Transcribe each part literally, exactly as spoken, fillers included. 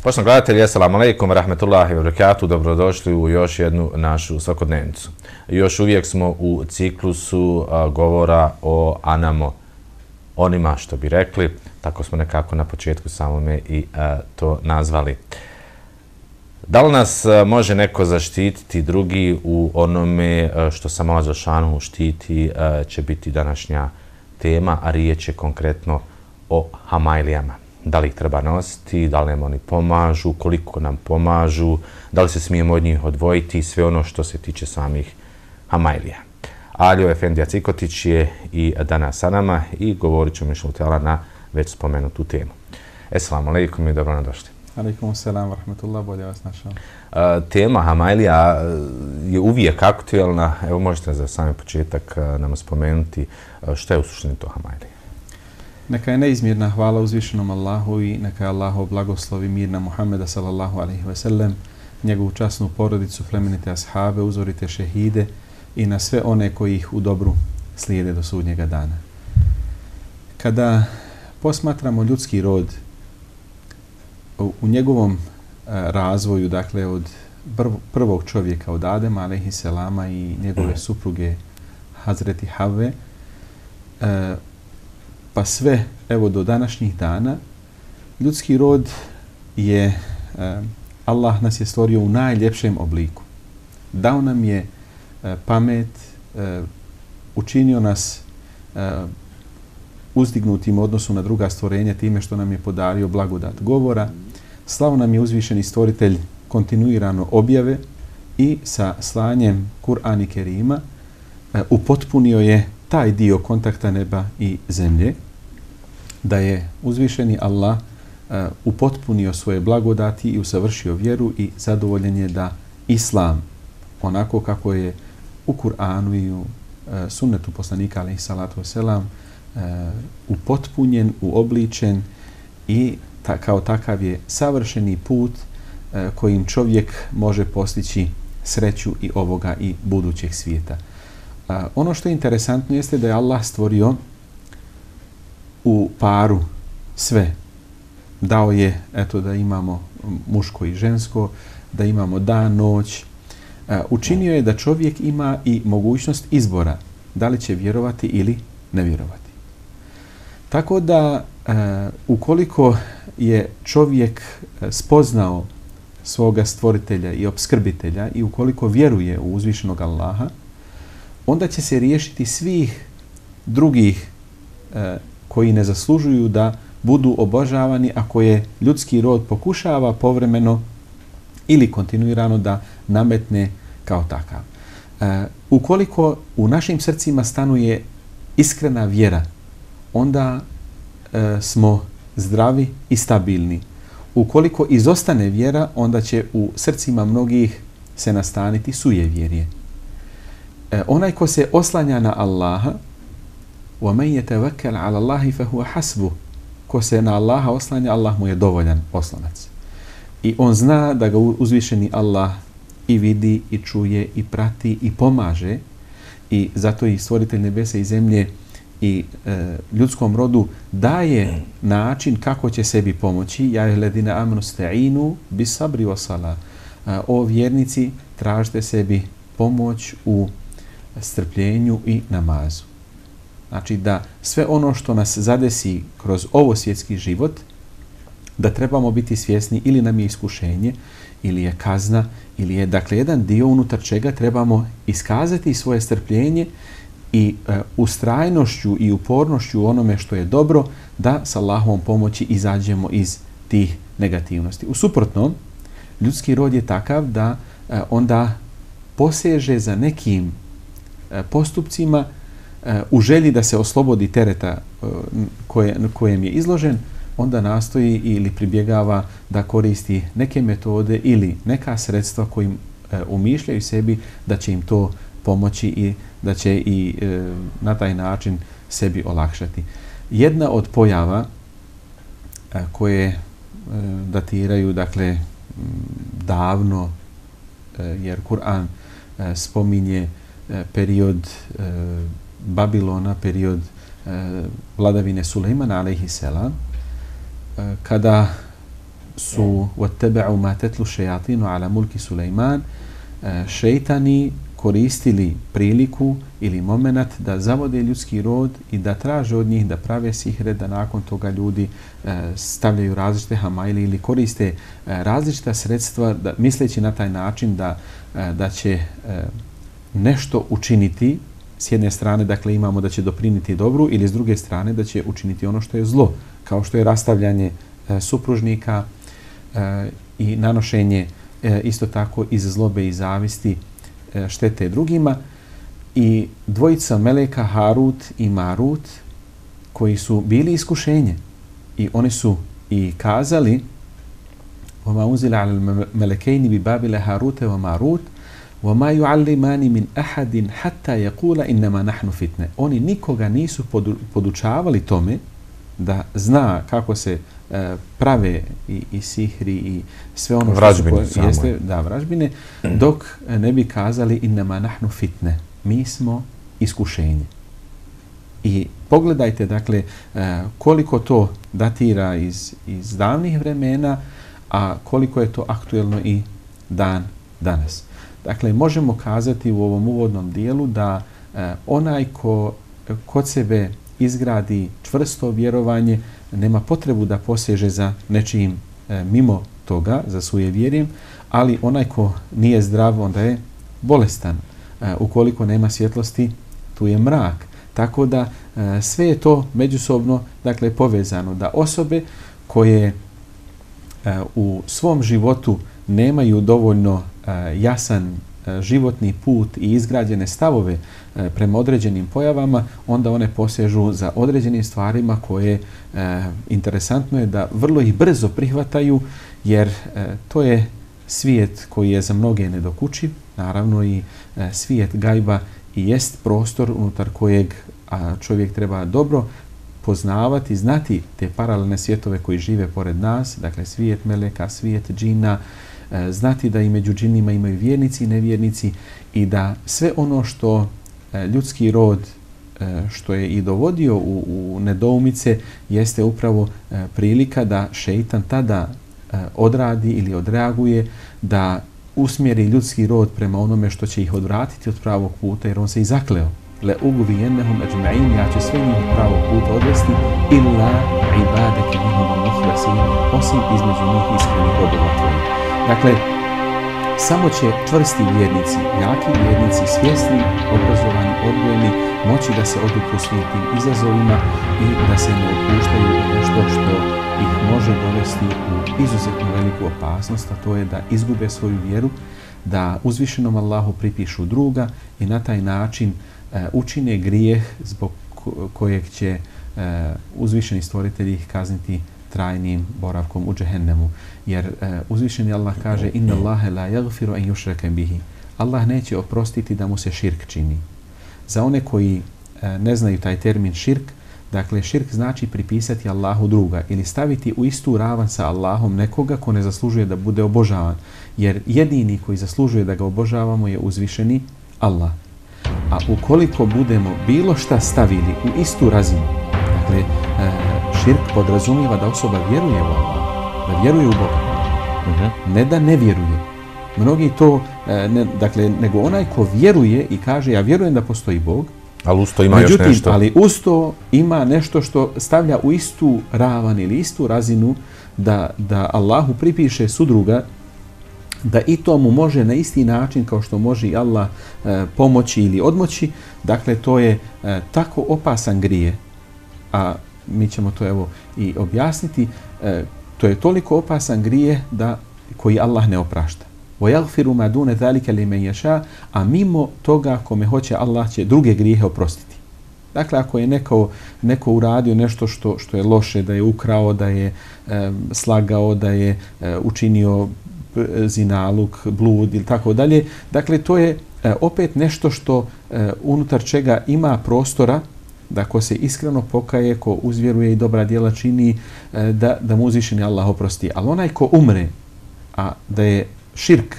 Poštovani gledatelji, assalamu alaikum, rahmetullahi wa barakatuh, dobrodošli u još jednu našu svakodnevnicu. Još uvijek smo u ciklusu a, govora o anamo, onima što bi rekli, tako smo nekako na početku samome i a, to nazvali. Da li nas a, može neko zaštititi drugi u onome a, što sam Allah dželešanu štiti, a, će biti današnja tema, a riječ je konkretno o hamajlijama. Da li ih treba nositi, da li nam oni pomažu, koliko nam pomažu, da li se smijemo od njih odvojiti i sve ono što se tiče samih hamajlija. Alio Efendija Cikotić je i danas sa nama i govorit ćemo inšallah na već spomenutu temu. Esselamu alaikum i dobro nam došli. Alaikum selam, rahmetullah, bolje vas našao. Uh, tema hamajlija je uvijek aktuelna. Evo možete za sami početak uh, nam spomenuti uh, što je u suštini to hamajlija. Neka je neizmjerna hvala uzvišenom Allahu i neka je Allahu blagoslovi mir na Muhammeda sallallahu alaihi ve sellem, njegovu časnu porodicu, plemenite ashabe, uzorite šehide i na sve one koji ih u dobru slijede do sudnjega dana. Kada posmatramo ljudski rod u, u njegovom a, razvoju, dakle od prv, prvog čovjeka, od Adema alaihi selama i njegove supruge Hazreti Havve, a, pa sve, evo, do današnjih dana, ljudski rod je, eh, Allah nas je stvorio u najljepšem obliku. Dao nam je eh, pamet, eh, učinio nas eh, uzdignutim u odnosu na druga stvorenja time što nam je podario blagodat govora. Slao nam je uzvišeni stvoritelj kontinuirano objave i sa slanjem Kur'ana Kerima eh, upotpunio je taj dio kontakta neba i zemlje, da je uzvišeni Allah uh, upotpunio svoje blagodati i usavršio vjeru i zadovoljen je da Islam, onako kako je u Kur'anu i u uh, sunnetu poslanika alejhi salatu vesselam uh, upotpunjen, uobličen i ta, kao takav je savršeni put uh, kojim čovjek može postići sreću i ovoga i budućeg svijeta. Uh, ono što je interesantno jeste da je Allah stvorio u paru sve. Dao je, eto, da imamo muško i žensko, da imamo dan, noć. Uh, učinio je da čovjek ima i mogućnost izbora, da li će vjerovati ili ne vjerovati. Tako da, uh, ukoliko je čovjek spoznao svoga stvoritelja i opskrbitelja i ukoliko vjeruje u uzvišenog Allaha, onda će se riješiti svih drugih e, koji ne zaslužuju da budu obožavani, a koje ljudski rod pokušava povremeno ili kontinuirano da nametne kao takav. E, ukoliko u našim srcima stanuje iskrena vjera, onda e, smo zdravi i stabilni. Ukoliko izostane vjera, onda će u srcima mnogih se nastaniti sujevjerje. E, onaj ko se oslanja na Allaha, وَمَنْ يَتَوَكَّلْ عَلَى اللَّهِ فَهُوَ حَسْبُهُ, ko se na Allaha oslanja, Allah mu je dovoljan oslonac. I on zna da ga uzvišeni Allah i vidi, i čuje, i prati, i pomaže. I zato i stvoritelj nebesa i zemlje i e, ljudskom rodu daje način kako će sebi pomoći. Ja ledina amanu sta'inu bis sabri wa sala. O vjernici, tražite sebi pomoć u strpljenju i namazu. Znači da sve ono što nas zadesi kroz ovo svjetski život, da trebamo biti svjesni ili nam je iskušenje, ili je kazna, ili je, dakle, jedan dio unutar čega trebamo iskazati svoje strpljenje i e, ustrajnošću i upornošću u onome što je dobro, da sa Allahovom pomoći izađemo iz tih negativnosti. U suprotnom, ljudski rod je takav da e, onda poseže za nekim e, postupcima e, u želji da se oslobodi tereta e, koje, kojem je izložen, onda nastoji ili pribjegava da koristi neke metode ili neka sredstva kojim e, umišljaju sebi da će im to pomoći i da će i e, na taj način sebi olakšati. Jedna od pojava e, koje e, datiraju, dakle, davno, e, jer Kur'an e, spominje e, period e, Babilona, period e, vladavine Sulejmana, alejhiselam, e, kada su وَاتَّبَعُوا مَا تَتْلُ شَيَاطِينُ عَلَى مُلْكِ Sulejman, e, šejtani koristili priliku ili moment da zavode ljudski rod i da traže od njih da prave sihre, da nakon toga ljudi e, stavljaju različite hamajli ili koriste e, različita sredstva, da, misleći na taj način da, e, da će e, nešto učiniti. S jedne strane, dakle, imamo da će dopriniti dobru ili s druge strane da će učiniti ono što je zlo, kao što je rastavljanje e, supružnika e, i nanošenje e, isto tako iz zlobe i zavisti štete drugima. I dvojica meleka Harut i Marut koji su bili iskušenje i oni su i kazali وَمَا أُنْزِلَ عَلَى الْمَلَكَيْنِ بِبَابِلَ هَارُوتَ وَمَارُوتَ وَمَا يُعَلِّمَانِ مِنْ أَحَدٍ حَتَّى يَقُولَ إِنَّمَا نَحْنُ فِتْنَةٌ. Oni nikoga nisu podučavali tome da zna kako se uh, prave i, i sihri i sve ono vražbine, što su jeste, da, vražbine, dok ne bi kazali innama nahnu fitne, mi smo iskušenje. I pogledajte, dakle, uh, koliko to datira iz, iz davnih vremena, a koliko je to aktuelno i dan danas. Dakle, možemo kazati u ovom uvodnom dijelu da uh, onaj ko kod sebe izgradi čvrsto vjerovanje, nema potrebu da poseže za nečijim e, mimo toga, za svoje vjerjem, ali onaj ko nije zdrav, onda je bolestan. E, ukoliko nema svjetlosti, tu je mrak. Tako da e, sve je to međusobno, dakle, povezano. Da osobe koje e, u svom životu nemaju dovoljno e, jasan životni put i izgrađene stavove e, prema određenim pojavama, onda one posežu za određenim stvarima koje e, interesantno je da vrlo ih brzo prihvataju, jer e, to je svijet koji je za mnoge nedokučiv, naravno i e, svijet gajba i jest prostor unutar kojeg a, čovjek treba dobro poznavati, znati te paralelne svjetove koji žive pored nas, dakle svijet meleka, svijet džina, znati da i među džinima imaju vjernici i nevjernici i da sve ono što ljudski rod što je i dovodio u, u nedoumice jeste upravo prilika da šeitan tada odradi ili odreaguje, da usmjeri ljudski rod prema onome što će ih odvratiti od pravog puta, jer on se i zakleo. Le ugvijennehum ajma'in, ja će sve njih od pravog puta odvesti, illa ibadeke minhum al-muhlasin, osim između njih iskrenih robova tvojih. Dakle, samo će čvrsti vjernici, jaki vjernici, svjesni, obrazovani, odgojeni, moći da se odupru svim tim izazovima i da se ne opuštaju u nešto što ih može dovesti u izuzetno veliku opasnost, a to je da izgube svoju vjeru, da uzvišenom Allahu pripišu druga i na taj način e, učine grijeh zbog kojeg će e, uzvišeni stvoritelji ih kazniti trajnim boravkom u džehennemu. Jer e, uzvišeni Allah kaže inna Allahe la yaghfiru an yushraka bihi. Allah neće oprostiti da mu se širk čini. Za one koji e, ne znaju taj termin širk, dakle širk znači pripisati Allahu druga ili staviti u istu ravan sa Allahom nekoga ko ne zaslužuje da bude obožavan. Jer jedini koji zaslužuje da ga obožavamo je uzvišeni Allah. A ukoliko budemo bilo šta stavili u istu razinu, dakle e, širk podrazumijeva da osoba vjeruje u Allah, da vjeruje u Boga, uh-huh. ne da ne vjeruje. Mnogi to, e, ne, dakle, nego onaj ko vjeruje i kaže ja vjerujem da postoji Bog, ali usto ima međutim, još nešto. Ali usto ima nešto što stavlja u istu ravan ili istu razinu da, da Allahu pripiše sudruga, da i to mu može na isti način kao što može i Allah e, pomoći ili odmoći. Dakle, to je e, tako opasan grije, a mi ćemo to evo i objasniti, e, to je toliko opasan grije da koji Allah ne oprašta. وَيَغْفِرُ مَا دُونَ ذَلِكَ لِمَنْ يَشَاءُ, a mimo toga kome hoće Allah će druge grijehe oprostiti. Dakle, ako je neko, neko uradio nešto što, što je loše, da je ukrao, da je e, slagao, da je e, učinio zinaluk, blud ili tako dalje, dakle, to je e, opet nešto što e, unutar čega ima prostora da ko se iskreno pokaje, ko uzvjeruje i dobra djela čini, e, da, da mu uzvišeni Allah oprosti. Ali onaj ko umre, a da je širk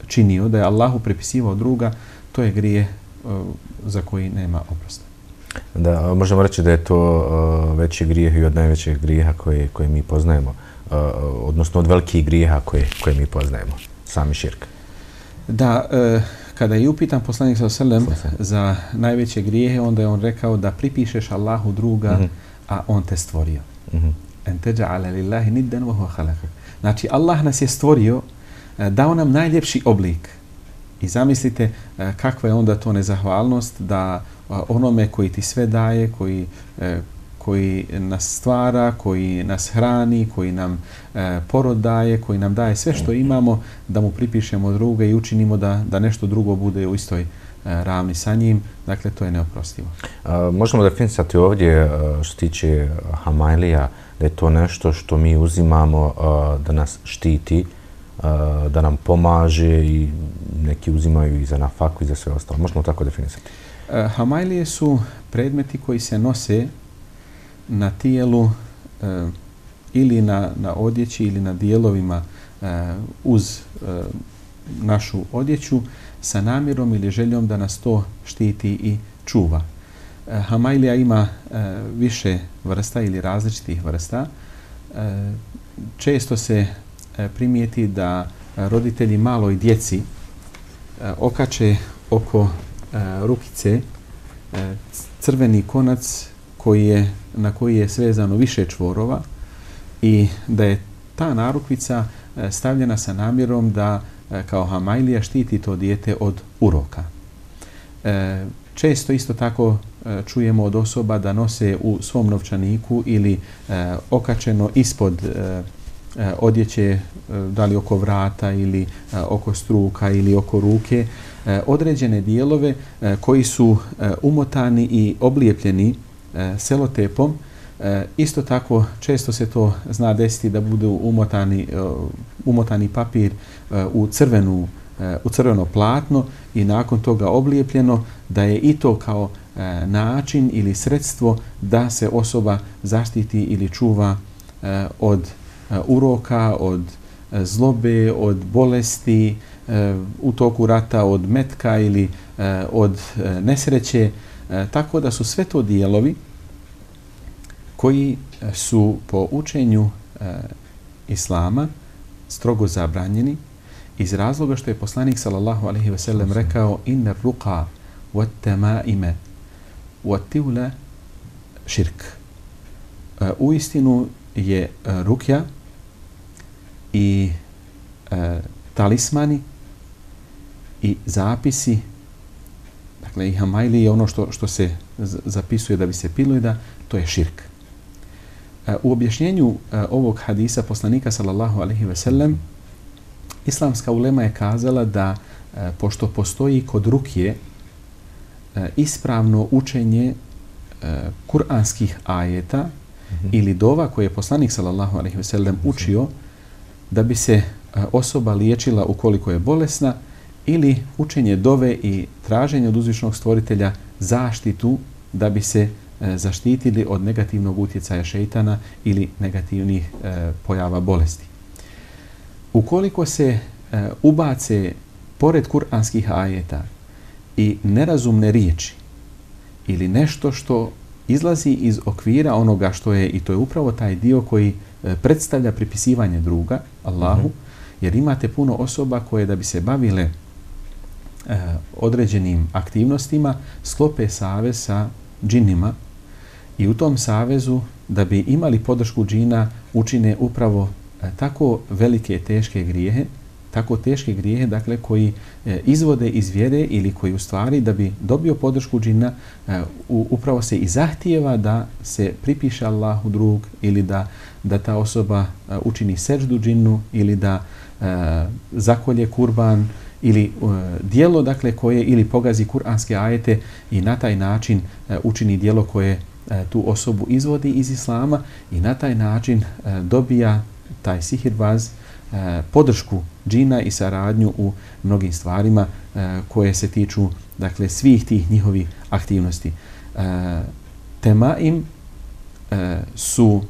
činio, da je Allahu prepisivao druga, to je grije e, za koji nema oprosta. Da, možemo reći da je to uh, veći grijeh i od najvećih grijeha koje, koje mi poznajemo, uh, odnosno od velikih grijeha koje, koje mi poznajemo, sami širk. Da, uh, kada je upitan poslanik sallallahu alejhi ve sellem za najveće grijehe, onda je on rekao da pripišeš Allahu druga, mm-hmm. a on te stvorio. Mm-hmm. En teđa'ale lillahi niddan wa huwa khalaqak. Znači, Allah nas je stvorio, dao nam najljepši oblik. I zamislite kakva je onda to nezahvalnost da onome koji ti sve daje, koji, koji nas stvara, koji nas hrani, koji nam porod daje, koji nam daje sve što imamo, da mu pripišemo druga i učinimo da, da nešto drugo bude u istoj ravni sa njim. Dakle, to je neoprostivo. A, možemo definisati ovdje što tiče Hamajlija, da je to nešto što mi uzimamo da nas štiti, da nam pomaže i neki uzimaju i za nafaku i za sve ostalo. Možemo tako definisati. Hamajlije su predmeti koji se nose na tijelu e, ili na, na odjeći ili na dijelovima e, uz e, našu odjeću sa namjerom ili željom da nas to štiti i čuva. E, Hamajlija ima e, više vrsta ili različitih vrsta. E, često se e, primijeti da roditelji maloj djeci e, okače oko rukice crveni konac koji je, na koji je svezano više čvorova i da je ta narukvica stavljena sa namjerom da kao Hamajlija štiti to dijete od uroka. Često isto tako čujemo od osoba da nose u svom novčaniku ili okačeno ispod odjeće, da li oko vrata ili oko struka ili oko ruke, određene dijelove koji su umotani i oblijepljeni selotepom. Isto tako često se to zna desiti da budu umotani, umotani papir u crvenu, u crveno platno i nakon toga oblijepljeno, da je i to kao način ili sredstvo da se osoba zaštiti ili čuva od uroka, od zlobe, od bolesti, u toku rata, od metka ili od nesreće. Tako da su sve to dijelovi koji su po učenju Islama strogo zabranjeni iz razloga što je poslanik sallallahu alejhi ve sellem rekao inna ruqa wat tamaime wat tiwla širk. U istinu je rukja i e, talismani i zapisi, dakle i hamajli je ono što, što se zapisuje da bi se pilo i da to je širk. E, u objašnjenju e, ovog hadisa poslanika sallallahu alejhi ve sellem islamska ulema je kazala da e, pošto postoji kod rukje e, ispravno učenje e, kuranskih ajeta mm-hmm. ili dova koje je poslanik sallallahu alejhi ve sellem učio da bi se osoba liječila ukoliko je bolesna, ili učenje dove i traženje od uzvišnog stvoritelja zaštitu da bi se zaštitili od negativnog utjecaja šejtana ili negativnih e, pojava bolesti. Ukoliko se e, ubace pored kuranskih ajeta i nerazumne riječi ili nešto što izlazi iz okvira onoga što je, i to je upravo taj dio koji e, predstavlja pripisivanje druga, Allahu, mm-hmm. jer imate puno osoba koje da bi se bavile e, određenim aktivnostima sklope savez sa džinima i u tom savezu da bi imali podršku džina učine upravo e, tako velike teške grijehe, tako teške grijehe, dakle, koji e, izvode iz vjere ili koji u stvari da bi dobio podršku džina e, u, upravo se i zahtijeva da se pripiše Allahu drug ili da, da ta osoba e, učini seždu džinu ili da e, zakolje kurban ili uh, dijelo dakle koje ili pogazi kuranske ajete i na taj način uh, učini dijelo koje uh, tu osobu izvodi iz islama i na taj način uh, dobija taj sihirbaz uh, podršku džina i saradnju u mnogim stvarima uh, koje se tiču dakle svih tih njihovih aktivnosti. Uh, temaim uh, su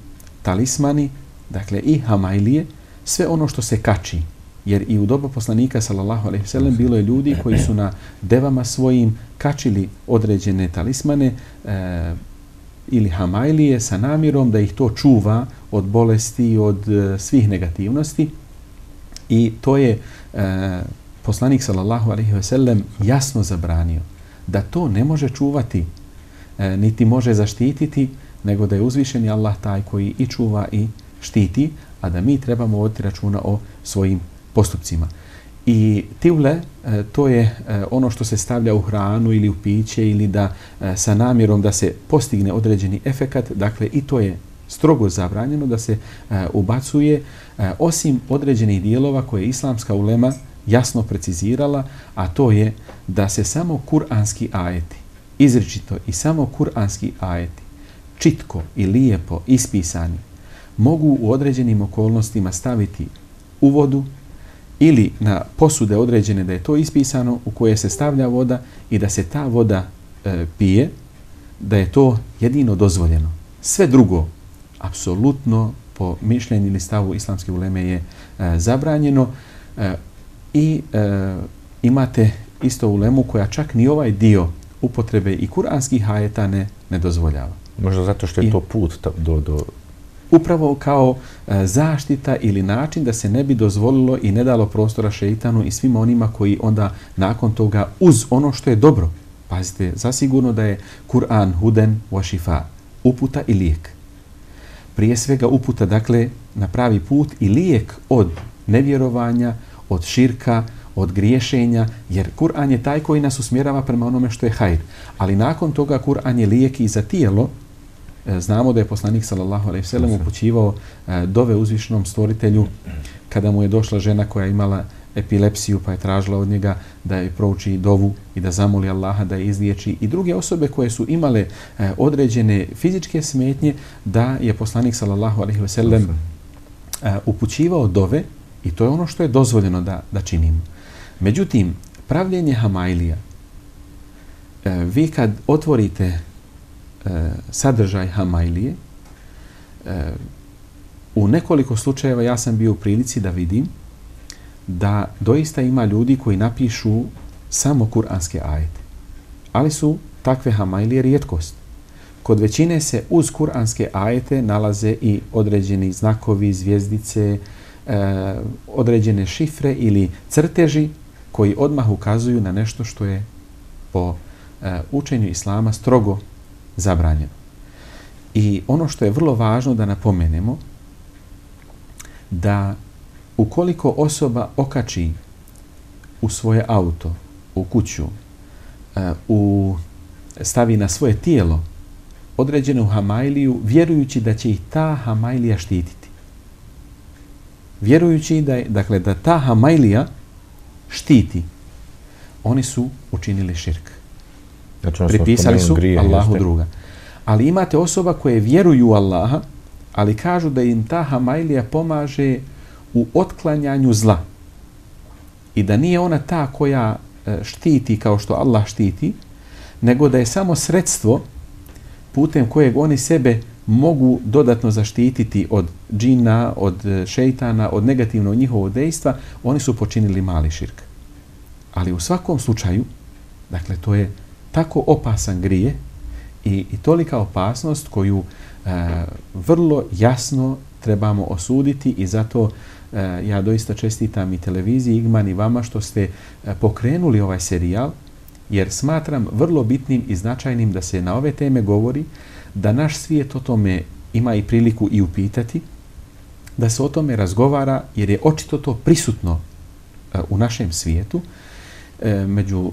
talismani, dakle i hamailije, sve ono što se kači. Jer i u doba poslanika sallallahu alejhi ve sellem bilo je ljudi koji su na devama svojim kačili određene talismane e, ili hamailije sa namjerom da ih to čuva od bolesti, od e, svih negativnosti. I to je e, poslanik sallallahu alejhi ve sellem jasno zabranio da to ne može čuvati e, niti može zaštititi, nego da je uzvišeni Allah taj koji i čuva i štiti, a da mi trebamo voditi računa o svojim postupcima. I tivle, to je ono što se stavlja u hranu ili u piće ili da sa namjerom da se postigne određeni efekat, dakle i to je strogo zabranjeno da se ubacuje osim određenih dijelova koje je islamska ulema jasno precizirala, a to je da se samo kuranski ajeti, izričito i samo kuranski ajeti, čitko i lijepo ispisani, mogu u određenim okolnostima staviti u vodu ili na posude određene da je to ispisano u koje se stavlja voda i da se ta voda e, pije, da je to jedino dozvoljeno. Sve drugo, apsolutno po mišljenju ili stavu islamske uleme je e, zabranjeno e, i e, imate isto ulemu koja čak ni ovaj dio upotrebe i kuranskih ajeta ne, ne dozvoljava. Možda zato što je I, to put do... do... Upravo kao e, zaštita ili način da se ne bi dozvolilo i ne dalo prostora šeitanu i svim onima koji onda nakon toga uz ono što je dobro. Pazite, zasigurno da je Kur'an huden wa šifa, uputa i lijek. Prije svega uputa, dakle, na pravi put i lijek od nevjerovanja, od širka, od griješenja, jer Kur'an je taj koji nas usmjerava prema onome što je hajr. Ali nakon toga Kur'an je lijek i za tijelo. Znamo da je poslanik sallallahu alejhi ve sellem upućivao dove uzvišenom stvoritelju kada mu je došla žena koja je imala epilepsiju pa je tražila od njega da je prouči dovu i da zamoli Allaha da je izliječi, i druge osobe koje su imale određene fizičke smetnje da je poslanik sallallahu alejhi ve sellem upućivao dove, i to je ono što je dozvoljeno da, da činimo. Međutim, pravljenje hamailija, vi kad otvorite sadržaj hamailije, u nekoliko slučajeva ja sam bio u prilici da vidim da doista ima ljudi koji napišu samo kuranske ajete, ali su takve hamailije rijetkost. Kod većine se uz kuranske ajete nalaze i određeni znakovi, zvjezdice, određene šifre ili crteži koji odmah ukazuju na nešto što je po učenju islama strogo zabranjeno. I ono što je vrlo važno da napomenemo, da ukoliko osoba okači u svoje auto, u kuću, u, stavi na svoje tijelo određenu hamailiju, vjerujući da će ih ta hamailija štititi. Vjerujući da, je, dakle, da ta hamailija štiti, oni su učinili širk. Znači, pripisali su grije, Allahu jeste. Druga. Ali imate osoba koje vjeruju u Allaha, ali kažu da im ta hamailija pomaže u otklanjanju zla. I da nije ona ta koja štiti kao što Allah štiti, nego da je samo sredstvo putem kojeg oni sebe mogu dodatno zaštititi od džina, od šejtana, od negativnog njihovog dejstva, oni su počinili mali širk. Ali u svakom slučaju, dakle, to je tako opasan grije i, i tolika opasnost koju e, vrlo jasno trebamo osuditi, i zato e, ja doista čestitam i televiziji Igman i vama što ste e, pokrenuli ovaj serijal, jer smatram vrlo bitnim i značajnim da se na ove teme govori, da naš svijet o tome ima i priliku i upitati, da se o tome razgovara, jer je očito to prisutno e, u našem svijetu, među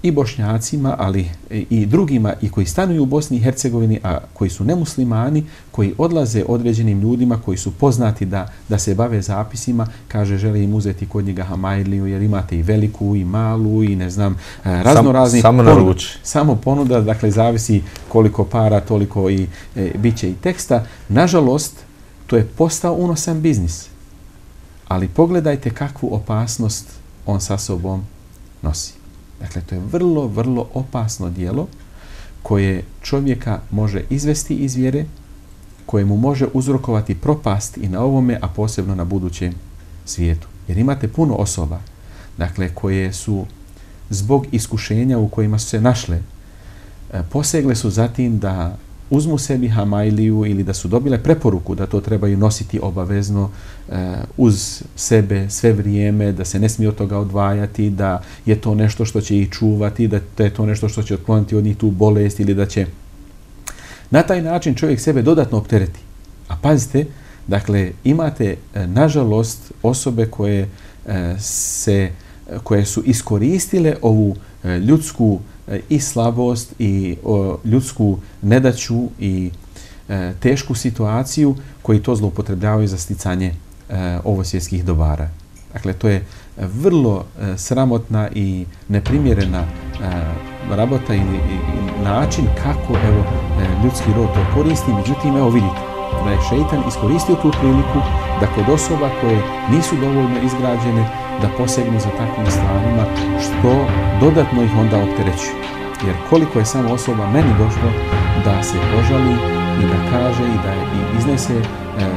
i Bošnjacima, ali i drugima i koji stanuju u Bosni i Hercegovini, a koji su nemuslimani, koji odlaze određenim ljudima koji su poznati da, da se bave zapisima, kaže žele im uzeti kod njega Hamailiju jer imate i veliku i malu i ne znam, razno razni. Samo na ruči. Samo ponuda, dakle zavisi koliko para, toliko i e, bit će i teksta. Nažalost, to je postao unosan biznis. Ali pogledajte kakvu opasnost on sa sobom nosi. Dakle, to je vrlo, vrlo opasno djelo koje čovjeka može izvesti iz vjere, koje mu može uzrokovati propast i na ovome, a posebno na budućem svijetu. Jer imate puno osoba, dakle, koje su zbog iskušenja u kojima su se našle, posegle su zatim da uzmu sebi Hamailiju ili da su dobile preporuku da to trebaju nositi obavezno e, uz sebe sve vrijeme, da se ne smije od toga odvajati, da je to nešto što će ih čuvati, da, da je to nešto što će otkloniti od njih tu bolest ili da će na taj način čovjek sebe dodatno optereti. A pazite, dakle, imate e, nažalost osobe koje, e, se, koje su iskoristile ovu e, ljudsku i slabost i o, ljudsku nedaću i e, tešku situaciju koji to zloupotrebljavaju za sticanje e, ovosvjetskih dobara. Dakle, to je vrlo e, sramotna i neprimjerena e, rabota ili i, način kako evo, e, ljudski rod to koristi. Međutim, evo vidite da je šeitan iskoristio tu priliku da kod osoba koje nisu dovoljno izgrađene da posegnu za takvim stvarima, što dodatno ih onda opterećuje. Jer koliko je samo osoba meni došlo da se požali i da kaže i da i iznese e,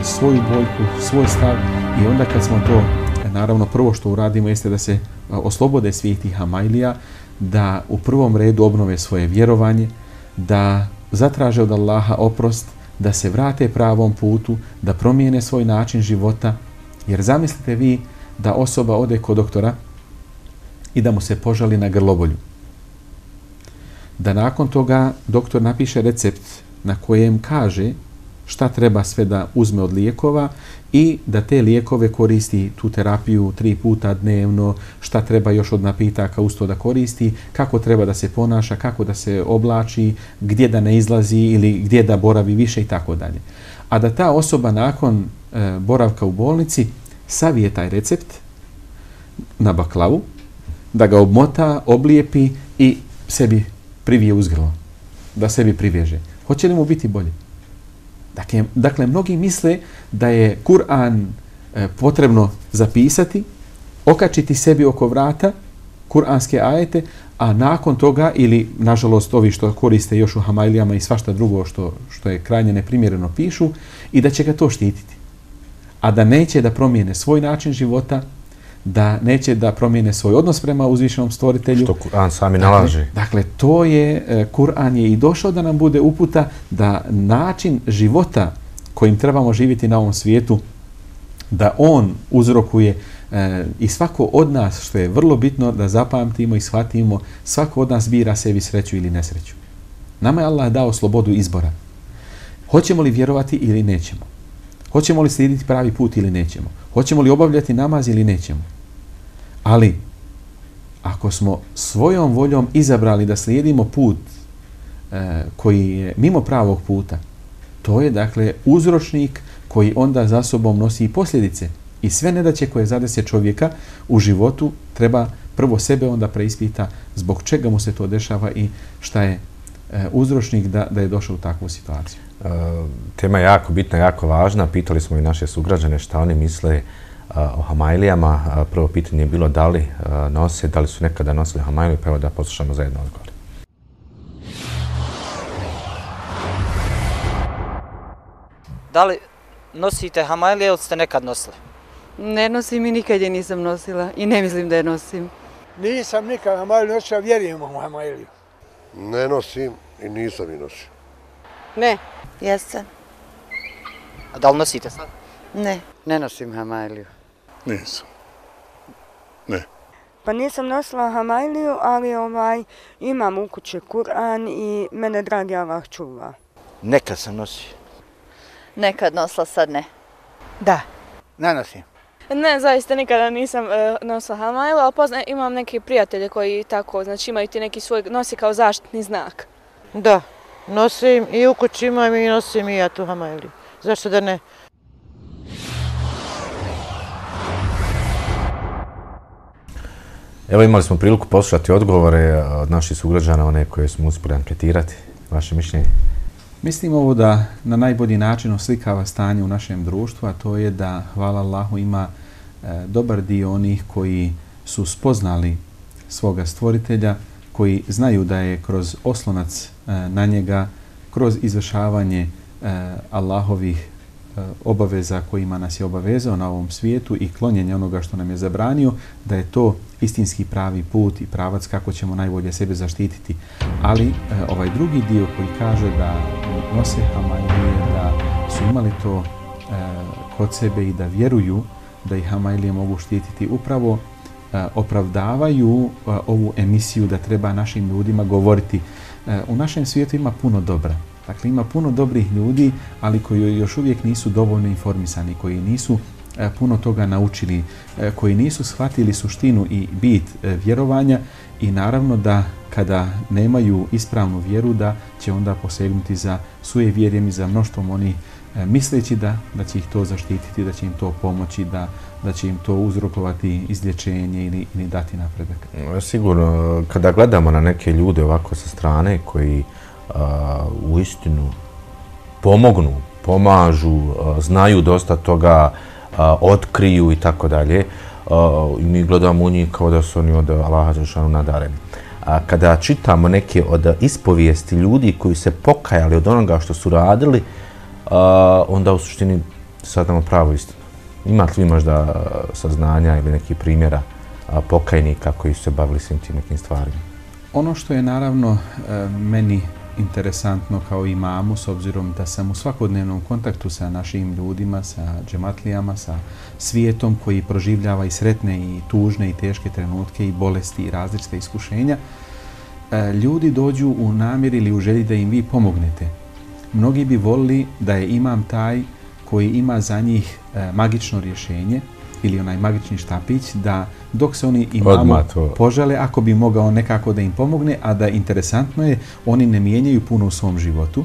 svoju boljku, svoj stav i onda kad smo to, e, naravno prvo što uradimo jeste da se e, oslobode svih tih Hamailija, da u prvom redu obnove svoje vjerovanje, da zatraže od Allaha oprost, da se vrate pravom putu, da promijene svoj način života. Jer zamislite vi da osoba ode kod doktora i da mu se požali na grlobolju. Da nakon toga doktor napiše recept na kojem kaže šta treba sve da uzme od lijekova i da te lijekove koristi tu terapiju tri puta dnevno, šta treba još od napitaka uz to da koristi, kako treba da se ponaša, kako da se oblači, gdje da ne izlazi ili gdje da boravi više i tako dalje. A da ta osoba nakon e, boravka u bolnici savije taj recept na baklavu, da ga obmota, oblijepi i sebi privije uz grlo, da sebi priveže. Hoće li mu biti bolje? Dakle, dakle mnogi misle da je Kur'an e, potrebno zapisati, okačiti sebi oko vrata, kur'anske ajete, a nakon toga, ili nažalost ovi što koriste još u Hamailijama i svašta drugo što, što je krajnje neprimjereno pišu, i da će ga to štititi. A da neće da promijene svoj način života, da neće da promijene svoj odnos prema uzvišenom stvoritelju. Što Kur'an sami nalaže. Dakle, dakle, to je, Kur'an je i došao da nam bude uputa da način života kojim trebamo živjeti na ovom svijetu, da on uzrokuje e, i svako od nas, što je vrlo bitno da zapamtimo i shvatimo, svako od nas bira sebi sreću ili nesreću. Nama je Allah dao slobodu izbora. Hoćemo li vjerovati ili nećemo? Hoćemo li slijediti pravi put ili nećemo? Hoćemo li obavljati namaz ili nećemo? Ali, ako smo svojom voljom izabrali da slijedimo put e, koji je mimo pravog puta, to je dakle uzročnik koji onda za sobom nosi i posljedice. I sve nedaće koje zadese čovjeka u životu treba prvo sebe onda preispita zbog čega mu se to dešava i šta je e, uzročnik da, da je došao u takvu situaciju. E, tema je jako bitna, jako važna. Pitali smo i naše sugrađane šta oni misle o Hamailijama. Prvo pitanje je bilo da li nose, da li su nekada nosili Hamailiju, pa evo da poslušamo zajedno odgovor. Da li nosite Hamailije ili ste nekad nosili? Ne nosim i nikad je nisam nosila i ne mislim da je nosim. Nisam nikad Hamailiju nosila, vjerujem u Hamailiju. Ne nosim i nisam i nosio. Ne. Jeste. A da li nosite sad? Ne. Ne nosim Hamailiju. Nisam. Ne. Pa nisam nosila Hamailiju, ali ovaj, imam u kući Kur'an i mene dragi Allah čuva. Nekad sam nosio. Nekad nosila, sad ne. Da. Ne nosim. Ne, zaista nikada nisam e, nosila hamajlu, ali pozna, imam neke prijatelje koji tako, znači imaju ti neki svoj, nosi kao zaštitni znak. Da, nosim i u kući imam i nosim i ja tu hamajlu. Zašto da ne? Evo imali smo priliku poslušati odgovore od naših sugrađana, one koje smo uspjeli anketirati. Vaše mišljenje? Mislim ovo da na najbolji način oslikava stanje u našem društvu, a to je da, hvala Allahu, ima e, dobar dio onih koji su spoznali svoga stvoritelja, koji znaju da je kroz oslonac e, na njega, kroz izvršavanje e, Allahovih e, obaveza kojima nas je obavezao na ovom svijetu i klonjenje onoga što nam je zabranio, da je to istinski pravi put i pravac kako ćemo najbolje sebe zaštititi. Ali e, ovaj drugi dio koji kaže da nose hamajlije, da su imali to e, kod sebe i da vjeruju da ih hamajlije mogu štititi, upravo e, opravdavaju e, ovu emisiju da treba našim ljudima govoriti. E, u našem svijetu ima puno dobra. Dakle, ima puno dobrih ljudi, ali koji još uvijek nisu dovoljno informisani, koji nisu e, puno toga naučili, e, koji nisu shvatili suštinu i bit e, vjerovanja i naravno da kada nemaju ispravnu vjeru da će onda posegnuti za sujevjerjem i za mnoštvom oni e, misleći da, da će ih to zaštititi, da će im to pomoći, da, da će im to uzrokovati izlječenje ili, ili dati napredak. Sigurno, kada gledamo na neke ljude ovako sa strane koji a, u istinu pomognu, pomažu, a, znaju dosta toga, a, otkriju i tako dalje, i mi gledamo u njih kao da su oni od Allaha dželešanu nadareni. A kada čitamo neke od ispovijesti ljudi koji se pokajali od onoga što su radili, a, onda u suštini saznamo pravu istinu. Imate li možda saznanja ili neki primjera a, pokajnika koji su se bavili svim tim nekim stvarima? Ono što je naravno e, meni interesantno kao imamu, s obzirom da sam u svakodnevnom kontaktu sa našim ljudima, sa džematlijama, sa svijetom koji proživljava i sretne i tužne i teške trenutke i bolesti i različite iskušenja, ljudi dođu u namjer ili u želji da im vi pomognete. Mnogi bi volili da je imam taj koji ima za njih magično rješenje ili onaj magični štapić, da dok se oni imamu požele, ako bi mogao nekako da im pomogne, a da interesantno je, oni ne mijenjaju puno u svom životu.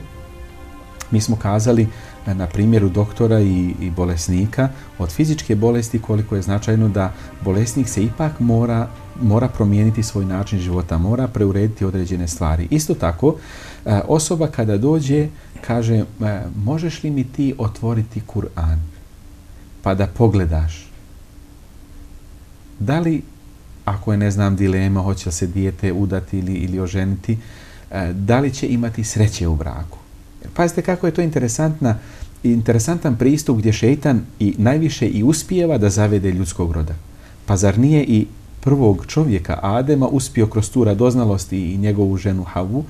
Mi smo kazali na primjeru doktora i, i bolesnika od fizičke bolesti koliko je značajno da bolesnik se ipak mora, mora promijeniti svoj način života, mora preurediti određene stvari. Isto tako, osoba kada dođe kaže, možeš li mi ti otvoriti Kur'an pa da pogledaš? Da li, ako je, ne znam, dilema, hoće li se dijete udati ili, ili oženiti, da li će imati sreće u braku? Pazite kako je to interesantna, interesantan pristup gdje šejtan i najviše i uspijeva da zavede ljudskog roda. Pa zar nije i prvog čovjeka, Adema, uspio kroz tu radoznalost i njegovu ženu Havu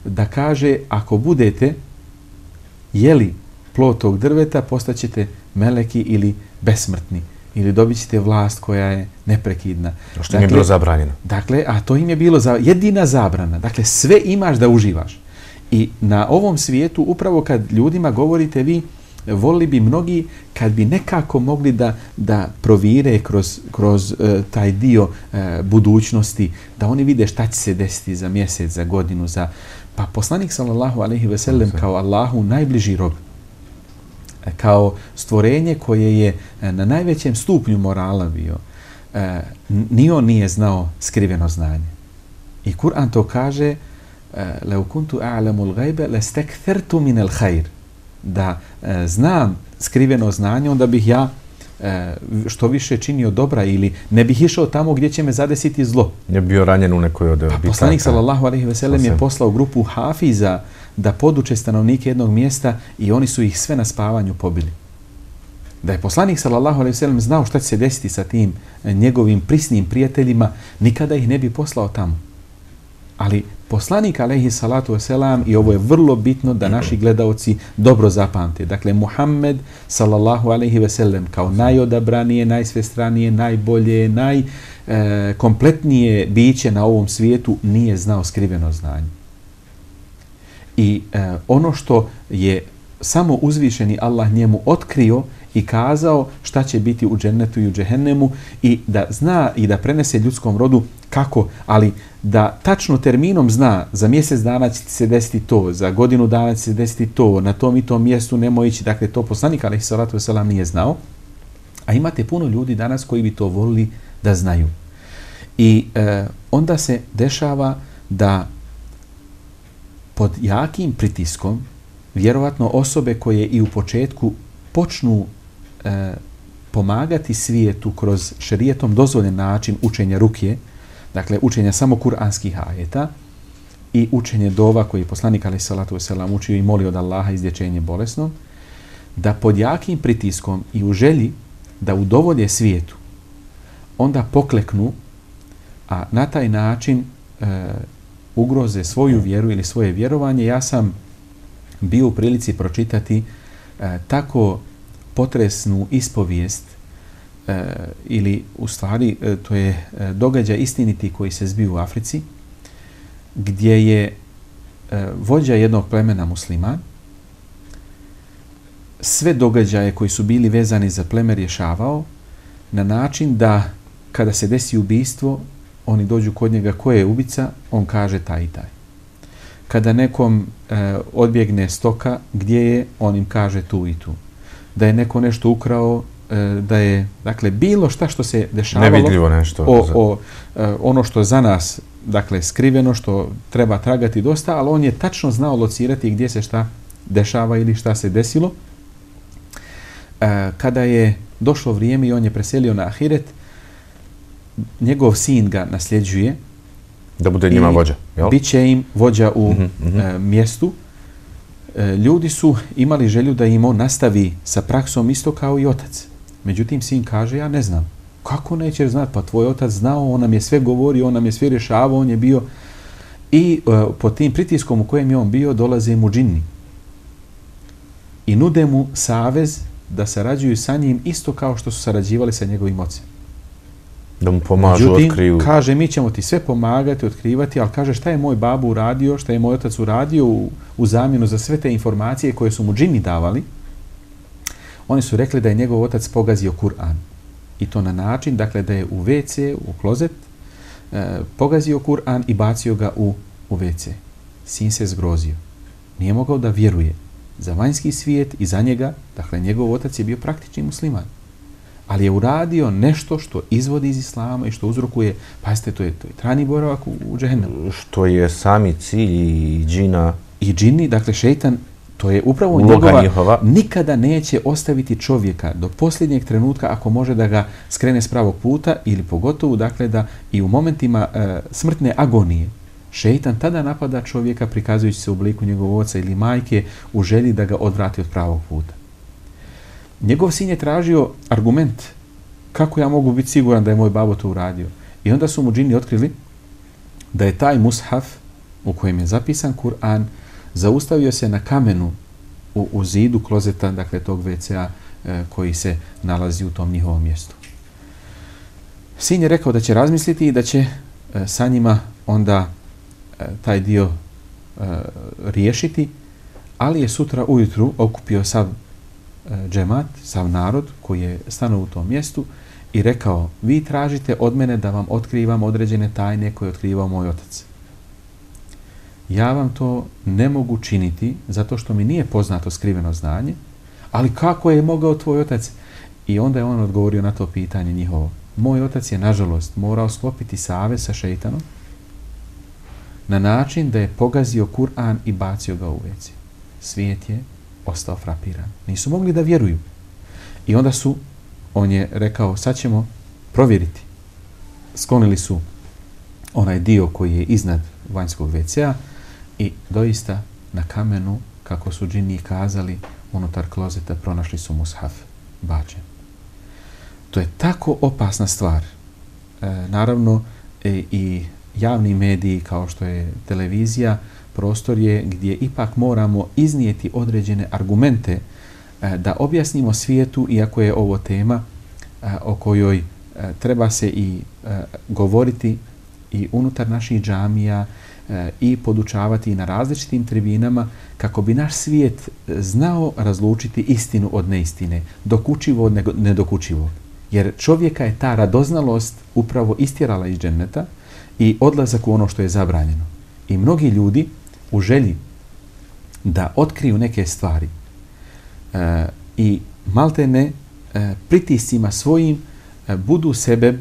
da kaže, ako budete jeli plod tog drveta, postaćete meleki ili besmrtni. Ili dobit ćete vlast koja je neprekidna. Što im je bilo zabranjeno. Dakle, a to im je bilo za, jedina zabrana. Dakle, sve imaš da uživaš. I na ovom svijetu, upravo kad ljudima govorite vi, volili bi mnogi kad bi nekako mogli da, da provire kroz, kroz uh, taj dio uh, budućnosti, da oni vide šta će se desiti za mjesec, za godinu, za... Pa poslanik sallallahu alejhi ve sellem kao Allahu najbliži rob, kao stvorenje koje je na najvećem stupnju morala bio, ni on nije znao skriveno znanje. I Kur'an to kaže, لَوْ كُنْتُ أَعْلَمُ الْغَيْبَ لَسْتَكْثَرْتُ مِنَ الْخَيْرِ, da znam skriveno znanje, onda bih ja što više činio dobra ili ne bih išao tamo gdje će me zadesiti zlo. Je bio ranjen u nekoj od bitaka. Poslanik sallallahu alejhi ve sellem je poslao grupu hafiza da poduče stanovnike jednog mjesta i oni su ih sve na spavanju pobili. Da je poslanik sallallahu alejhi ve sellem znao šta će se desiti sa tim njegovim prisnim prijateljima, nikada ih ne bi poslao tamo. Ali poslanik alejhi salatu vesselam, i ovo je vrlo bitno da naši gledaoci dobro zapamte. Dakle, Muhammed sallallahu alejhi ve sellem kao najodabranije, najsvestranije, najbolje, najkompletnije biće na ovom svijetu nije znao skriveno znanje. I e, ono što je samo uzvišeni Allah njemu otkrio i kazao šta će biti u džennetu i u džehennemu i da zna i da prenese ljudskom rodu kako, ali da tačno terminom zna za mjesec dana će se desiti to, za godinu dana će se desiti to, na tom i tom mjestu nemoj ići, dakle to poslanik alejhi salatu vesselam nije znao. A imate puno ljudi danas koji bi to volili da znaju. I e, onda se dešava da pod jakim pritiskom vjerovatno osobe koje i u početku počnu e, pomagati svijetu kroz šerijetom dozvoljen način učenja rukje, dakle učenja samo kuranskih ajeta i učenje dova koji je poslanik alejhi salatu vesselam učio i molio od Allaha izlječenje bolesnog, da pod jakim pritiskom i u želji da udovolje svijetu, onda pokleknu, a na taj način e, ugroze svoju vjeru ili svoje vjerovanje. Ja sam bio u prilici pročitati e, tako potresnu ispovijest e, ili u stvari e, to je e, događaj istiniti koji se zbio u Africi, gdje je e, vođa jednog plemena musliman sve događaje koji su bili vezani za pleme rješavao na način da kada se desi ubistvo, oni dođu kod njega ko je ubica, on kaže taj i taj. Kada nekom e, odbjegne stoka, gdje je, on im kaže tu i tu. Da je neko nešto ukrao, e, da je, dakle, bilo šta što se dešavalo, nevidljivo nešto. O, o, e, ono što za nas, dakle, skriveno, što treba tragati dosta, ali on je tačno znao locirati gdje se šta dešava ili šta se desilo. E, kada je došlo vrijeme i on je preselio na ahiret, njegov sin ga nasljeđuje. Da bude njima vođa, jel? Biće im vođa u mm-hmm, mm-hmm. E, mjestu. E, ljudi su imali želju da im on nastavi sa praksom isto kao i otac. Međutim, sin kaže, ja ne znam. Kako neće znati? Pa tvoj otac znao, on nam je sve govorio, on nam je sve rješavao, on je bio. I e, pod tim pritiskom u kojem je on bio, dolaze mu džinni. I nude mu savez da sarađuju sa njim isto kao što su sarađivali sa njegovim ocem. Da mu pomažu, Međutim, otkriju. kaže, mi ćemo ti sve pomagati, otkrivati, ali kaže šta je moj babu uradio, šta je moj otac uradio u, u zamjenu za sve te informacije koje su mu džini davali. Oni su rekli da je njegov otac pogazio Kur'an. I to na način, dakle, da je u ve ce, u klozet, eh, pogazio Kur'an i bacio ga u, u ve ce. Sin se zgrozio. Nije mogao da vjeruje za vanjski svijet i za njega, dakle, njegov otac je bio praktični musliman. Ali je uradio nešto što izvodi iz islama i što uzrokuje, pazite, to je, to je trajni boravak u, u džehennemu. Što je sami cilj i džina. I džini, dakle šejtan, to je upravo njegova, njihova, nikada neće ostaviti čovjeka do posljednjeg trenutka ako može da ga skrene s pravog puta ili pogotovo, dakle, da i u momentima e, smrtne agonije šejtan tada napada čovjeka prikazujući se u obliku njegovog oca ili majke u želji da ga odvrati od pravog puta. Njegov sin je tražio argument kako ja mogu biti siguran da je moj babo to uradio. I onda su mu džini otkrili da je taj mushaf u kojem je zapisan Kur'an zaustavio se na kamenu u, u zidu klozeta, dakle tog ve ce a e, koji se nalazi u tom njihovom mjestu. Sin je rekao da će razmisliti i da će e, sa njima onda e, taj dio e, riješiti, ali je sutra ujutru okupio sav džemat, sav narod koji je stanuo u tom mjestu i rekao, vi tražite od mene da vam otkrivam određene tajne koje je otkrivao moj otac. Ja vam to ne mogu činiti zato što mi nije poznato skriveno znanje, ali kako je mogao tvoj otac? I onda je on odgovorio na to pitanje njihovo. Moj otac je, nažalost, morao sklopiti savez sa šejtanom na način da je pogazio Kur'an i bacio ga u ve ce. Svijet je ostao frapiran. Nisu mogli da vjeruju. I onda su, on je rekao, sad ćemo provjeriti. Sklonili su onaj dio koji je iznad vanjskog ve ce a i doista na kamenu, kako su džini kazali, unutar klozeta pronašli su mushaf bačen. To je tako opasna stvar. E, naravno, e, i javni mediji kao što je televizija, prostor je gdje ipak moramo iznijeti određene argumente e, da objasnimo svijetu, iako je ovo tema e, o kojoj e, treba se i e, govoriti i unutar naših džamija e, i podučavati na različitim tribinama kako bi naš svijet znao razlučiti istinu od neistine, dokučivo od nedokučivog. Jer čovjeka je ta radoznalost upravo istjerala iz dženneta i odlazak u ono što je zabranjeno. I mnogi ljudi u želji da otkriju neke stvari e, i maltene e, pritiscima svojim e, budu sebe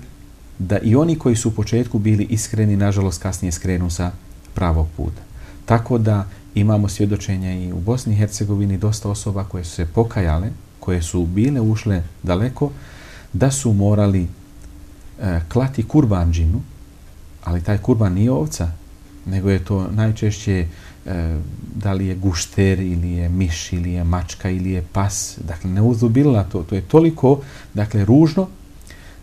da i oni koji su u početku bili iskreni, nažalost kasnije skrenu sa pravog puta. Tako da imamo svjedočenja i u Bosni i Hercegovini dosta osoba koje su se pokajale, koje su bile ušle daleko, da su morali e, klati kurban džinu, ali taj kurban nije ovca, nego je to najčešće e, da li je gušter ili je miš ili je mačka ili je pas. Dakle, ne uzubila to. To je toliko dakle, ružno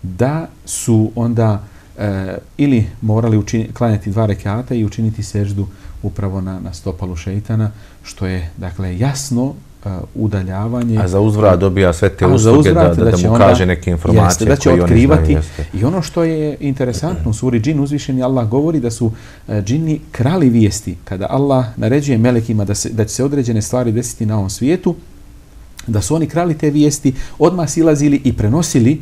da su onda e, ili morali učini, klanjati dva rekata i učiniti seždu upravo na, na stopalu šeitana, što je dakle jasno uh, udaljavanje. A za uzvrat dobija sve te usluge da, da, da, da mu onda, kaže neke informacije jeste, koje oni znaju. Jeste. I ono što je interesantno, u suri džin uzvišeni Allah govori da su uh, džini krali vijesti. Kada Allah naređuje melekima da, se, da će se određene stvari desiti na ovom svijetu, da su oni krali te vijesti, odmah silazili i prenosili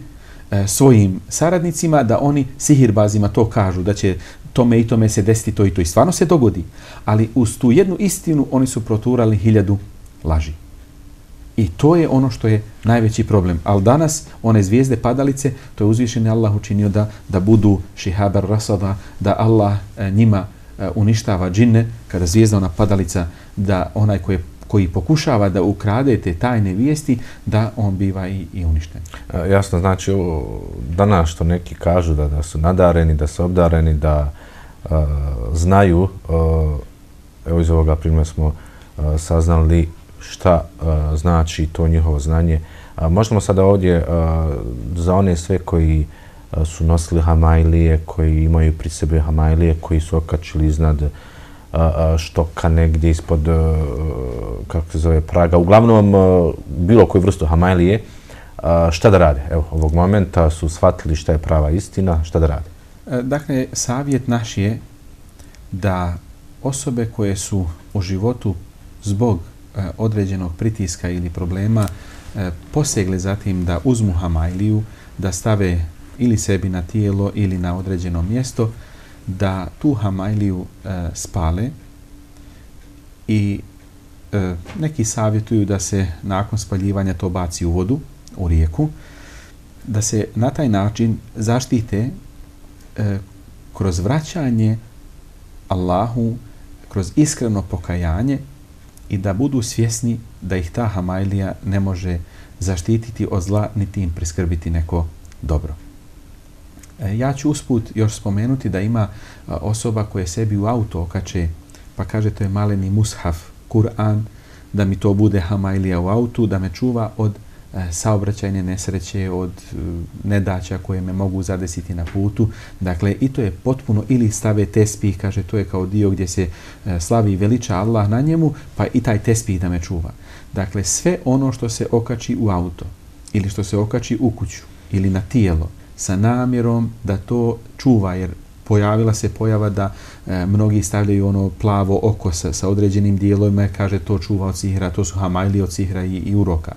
uh, svojim saradnicima da oni sihirbazima to kažu, da će tome i tome se desiti to i to. I stvarno se dogodi. Ali uz tu jednu istinu oni su proturali hiljadu laži. I to je ono što je najveći problem. Ali danas one zvijezde padalice, to je uzvišeni Allah učinio da, da budu šihabar rasada, da Allah e, njima e, uništava džinne, kada zvijezda ona padalica, da onaj koji, koji pokušava da ukrade te tajne vijesti, da on biva i, i uništen. E, jasno, znači ovo, danas što neki kažu da, da su nadareni, da su obdareni, da Uh, znaju, uh, evo iz ovoga primjera smo uh, saznali šta uh, znači to njihovo znanje. Uh, možemo sada ovdje uh, za one sve koji uh, su nosili hamajlije, koji imaju pri sebi hamajlije, koji su okačili iznad uh, uh, štoka negdje ispod, uh, kako se zove, praga, uglavnom uh, bilo koju vrstu hamajlije, uh, šta da rade? Evo, ovog momenta su shvatili šta je prava istina, šta da rade? Dakle, savjet naš je da osobe koje su u životu zbog e, određenog pritiska ili problema e, posegle zatim da uzmu hamajliju, da stave ili sebi na tijelo ili na određeno mjesto, da tu hamajliju e, spale i e, neki savjetuju da se nakon spaljivanja to baci u vodu, u rijeku, da se na taj način zaštite kroz vraćanje Allahu, kroz iskreno pokajanje i da budu svjesni da ih ta hamajlija ne može zaštititi od zla niti im priskrbiti neko dobro. Ja ću usput još spomenuti da ima osoba koje sebi u auto okače pa kaže to je maleni mushaf, Kur'an, da mi to bude hamajlija u autu, da me čuva od saobraćajne nesreće, od nedaća koje me mogu zadesiti na putu. Dakle, i to je potpuno, ili stave tespih, kaže, to je kao dio gdje se slavi i veliča Allah na njemu, pa i taj tespih da me čuva. Dakle, sve ono što se okači u auto, ili što se okači u kuću, ili na tijelo, sa namjerom da to čuva, jer pojavila se pojava da e, mnogi stavljaju ono plavo oko sa, sa određenim dijelovima, kaže to čuva od sihra, to su hamajli od sihra i, i uroka.